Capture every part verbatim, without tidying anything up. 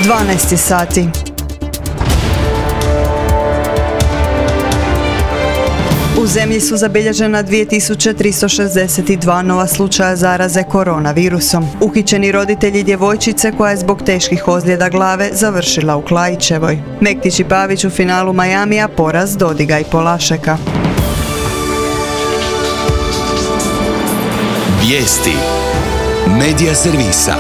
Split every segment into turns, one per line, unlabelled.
dvanaest sati. U zemlji su zabilježena dvije tisuće tristo šezdeset dva nova slučaja zaraze koronavirusom. Uhićeni roditelji djevojčice koja je zbog teških ozljeda glave završila u Klaićevoj. Mektić i Pavić u finalu Majamija, poraz Dodiga i Polašeka.
Vijesti Medija servisa.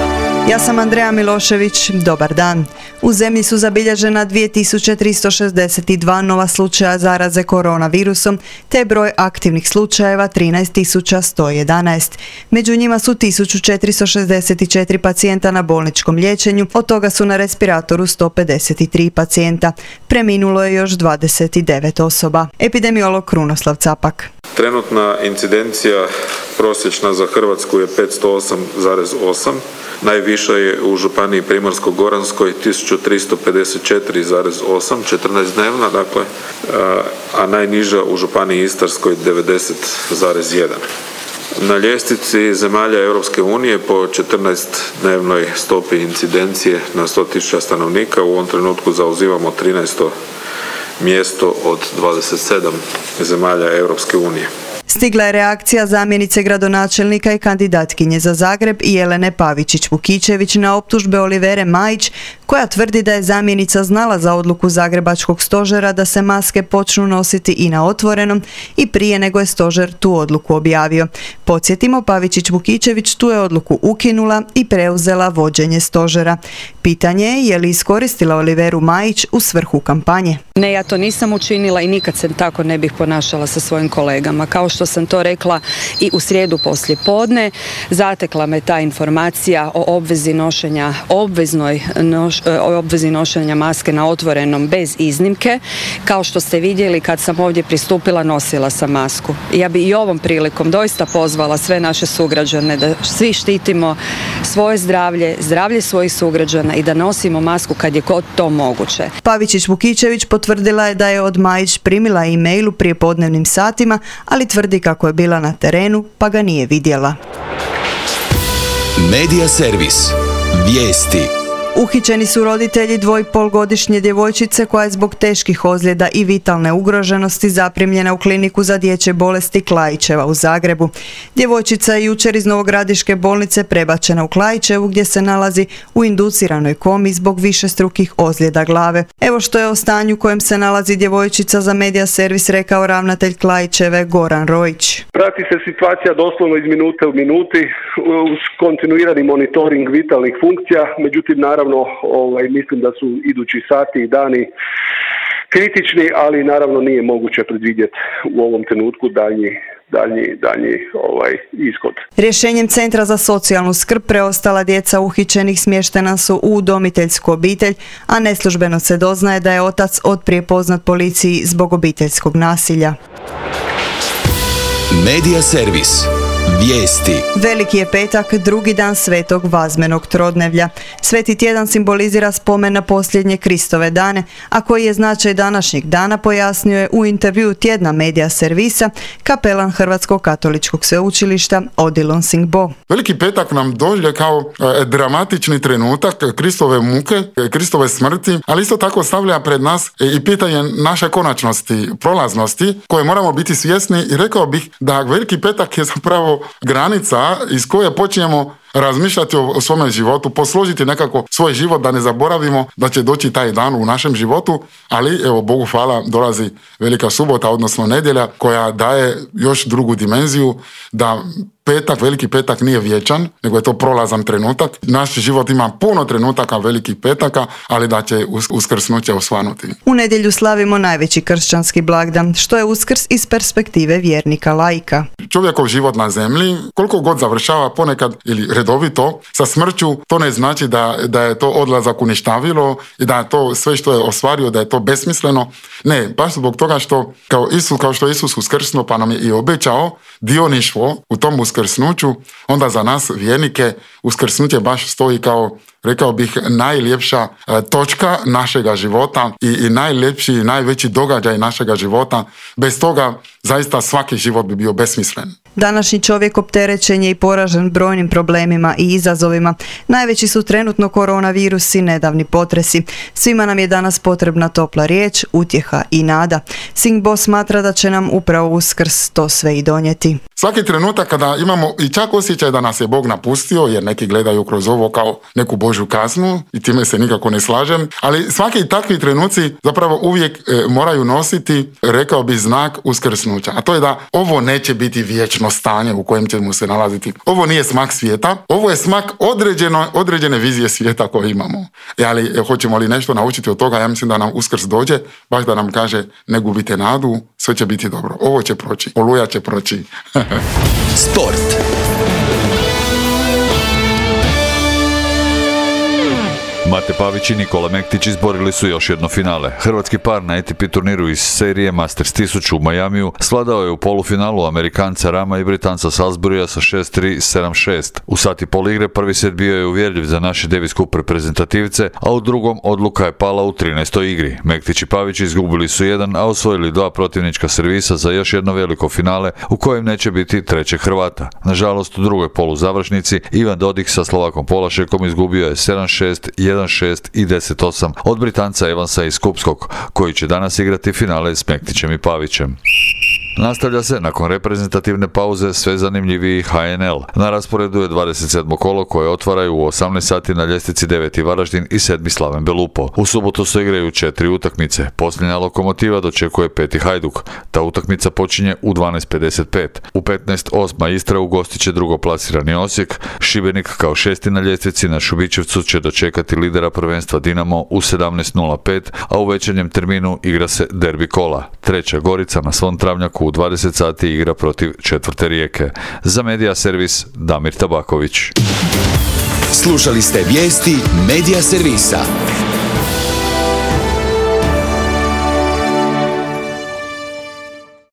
Ja sam Andreja Milošević, dobar dan. U zemlji su zabilježena dvije tisuće tristo šezdeset dva nova slučaja zaraze koronavirusom, te broj aktivnih slučajeva trinaest tisuća sto jedanaest. Među njima su tisuću četiristo šezdeset četiri pacijenta na bolničkom liječenju, od toga su na respiratoru sto pedeset tri pacijenta. Preminulo je još dvadeset devet osoba. Epidemiolog Krunoslav Capak.
Trenutna incidencija prosječna za Hrvatsku je petsto osam zarez osam, najviša je u županiji Primorsko-goranskoj tisuću tristo pedeset četiri zarez osam, četrnaest dnevna, dakle, a najniža u županiji Istarskoj devedeset zarez jedan. Na ljestvici zemalja Europske unije po četrnaest dnevnoj stopi incidencije na sto tisuća stanovnika u ovom trenutku zauzimamo trinaesto mjesto od dvadeset sedam zemalja Europske unije.
Stigla je reakcija zamjenice gradonačelnika i kandidatkinje za Zagreb Jelene Pavičić-Vukičević na optužbe Olivere Majić, koja tvrdi da je zamjenica znala za odluku Zagrebačkog stožera da se maske počnu nositi i na otvorenom i prije nego je stožer tu odluku objavio. Podsjetimo, Pavičić-Vukičević tu je odluku ukinula i preuzela vođenje stožera. Pitanje je je li iskoristila Oliveru Majić u svrhu kampanje.
Ne, ja to nisam učinila i nikad se tako ne bih ponašala sa svojim kolegama. Kao što sam to rekla i u srijedu poslije podne, zatekla me ta informacija o obvezi nošenja, obveznoj noš, obvezi nošenja maske na otvorenom bez iznimke. Kao što ste vidjeli, kad sam ovdje pristupila, nosila sam masku. Ja bi i ovom prilikom doista pozvala sve naše sugrađane da svi štitimo svoje zdravlje, zdravlje svojih sugrađana i da nosimo masku kad je god to moguće.
Pavičić-Vukičević potvrdila je da je od Majić primila e-mail u prijepodnevnim satima, ali tvrdi kako je bila na terenu pa ga nije vidjela.
Medija servis. Vijesti.
Uhićeni su roditelji dvojpolgodišnje djevojčice koja je zbog teških ozljeda i vitalne ugroženosti zaprimljena u kliniku za dječje bolesti Klaićeva u Zagrebu. Djevojčica je jučer iz Novogradiške bolnice prebačena u Klaićevu gdje se nalazi u induciranoj komi zbog višestrukih ozljeda glave. Evo što je o stanju u kojem se nalazi djevojčica za Medija servis rekao ravnatelj Klaićeve Goran Rojić.
Prati se situacija doslovno iz minute u minuti uz kontinuirani monitoring vitalnih funkcija, međutim naravno ovaj, mislim da su idući sati i dani kritični, ali naravno nije moguće predvidjeti u ovom trenutku daljnji daljnji, daljnji ovaj, ishod.
Rješenjem Centra za socijalnu skrb preostala djeca uhićenih smještena su u udomiteljsku obitelj, a neslužbeno se doznaje da je otac otprije poznat policiji zbog obiteljskog nasilja.
Medija servis. Vijesti.
Veliki je petak, drugi dan svetog vazmenog trodnevlja. Sveti tjedan simbolizira spomen na posljednje Kristove dane, a koji je značaj današnjeg dana pojasnio je u intervjuu tjedna Medija servisa kapelan Hrvatskog katoličkog sveučilišta Odilon Singbo.
Veliki petak nam dođe kao e, dramatični trenutak Kristove muke, Kristove smrti, ali isto tako stavlja pred nas e, i pitanje naše konačnosti, prolaznosti, koje moramo biti svjesni i rekao bih da veliki petak je zapravo granica iz koje počinjemo razmišljati o, o svome životu, posložiti nekako svoj život da ne zaboravimo da će doći taj dan u našem životu, ali evo Bogu hvala dolazi Velika subota, odnosno nedjelja koja daje još drugu dimenziju da petak, veliki petak nije vječan, nego je to prolazan trenutak. Naš život ima puno trenutaka velikih petaka, ali da će uskrsnuće osvanuti.
U nedjelju slavimo najveći kršćanski blagdan, što je Uskrs iz perspektive vjernika laika.
Čovjekov život na zemlji, koliko god završava ponekad ili redovito sa smrću, to ne znači da, da je to odlazak u ništavilo i da je to sve što je ostvario, da je to besmisleno. Ne, baš zbog toga što kao Isus, kao što je Isus uskrsnuo pa nam je i obećao dioništvo u tom uskrsnuću, onda za nas vjernike uskrsnuće baš stoji kao, rekao bih, najljepša e, točka našega života i, i najljepši i najveći događaj našega života. Bez toga zaista svaki život bi bio besmislen.
Današnji čovjek opterećen je i poražen brojnim problemima i izazovima. Najveći su trenutno koronavirus i nedavni potresi. Svima nam je danas potrebna topla riječ, utjeha i nada. Singh Boss smatra da će nam upravo Uskrs to sve i donijeti.
Svaki trenutak kada imamo i čak osjećaj da nas je Bog napustio, jer neki gledaju kroz ovo kao neku Božju kaznu i time se nikako ne slažem, ali svaki takvi trenuci zapravo uvijek e, moraju nositi, rekao bi, znak uskrsnuća. A to je da ovo neće biti vječno stanje u kojem ćemo se nalaziti. Ovo nije smak svijeta, ovo je smak određeno, određene vizije svijeta koje imamo. E, ali e, hoćemo li nešto naučiti od toga? Ja mislim da nam Uskrs dođe, baš da nam kaže ne gubite nadu, sve će biti dobro. Ovo će proći, Oluja će proći.
Sport.
Mate Pavić i Nikola Mektić izborili su još jedno finale. Hrvatski par na A T P turniru iz serije Masters tisuću u Majamiju svladao je u polufinalu Amerikanca Rama i Britanca Salisburya sa šest tri sedam šest. U sat i pol igre prvi set bio je uvjerljiv za naše Davis Cup reprezentativce, a u drugom odluka je pala u trinaestoj igri. Mektić i Pavić izgubili su jedan, a osvojili dva protivnička servisa za još jedno veliko finale u kojem neće biti trećeg Hrvata. Nažalost, u drugoj poluzavršnici Ivan Dodig sa Slovakom Polašekom izgubio je sedam šest, jedan šest i deset osam od Britanca Evansa iz Kupskog, koji će danas igrati finale s Mektićem i Pavićem. Nastavlja se nakon reprezentativne pauze sve zanimljiviji H N L. Na rasporedu je dvadeset sedmo kolo koje otvaraju u osamnaest sati na ljestvici deveti Varaždin i sedmi Slaven Belupo. U subotu se igraju četiri utakmice. Posljednja Lokomotiva dočekuje peti Hajduk. Ta utakmica počinje u dvanaest pedeset pet. U petnaest osma Istra ugostit će drugoplasirani Osijek. Šibenik kao šesti na ljestvici na Šubićevcu će dočekati lidera prvenstva Dinamo u sedamnaest nula pet, a u večernjem terminu igra se derbi kola. Treća Gorica na svom travnjaku u dvadeset sati igra protiv četvrte Rijeke. Za Medija servis Damir Tabaković.
Slušali ste vijesti Medija servisa.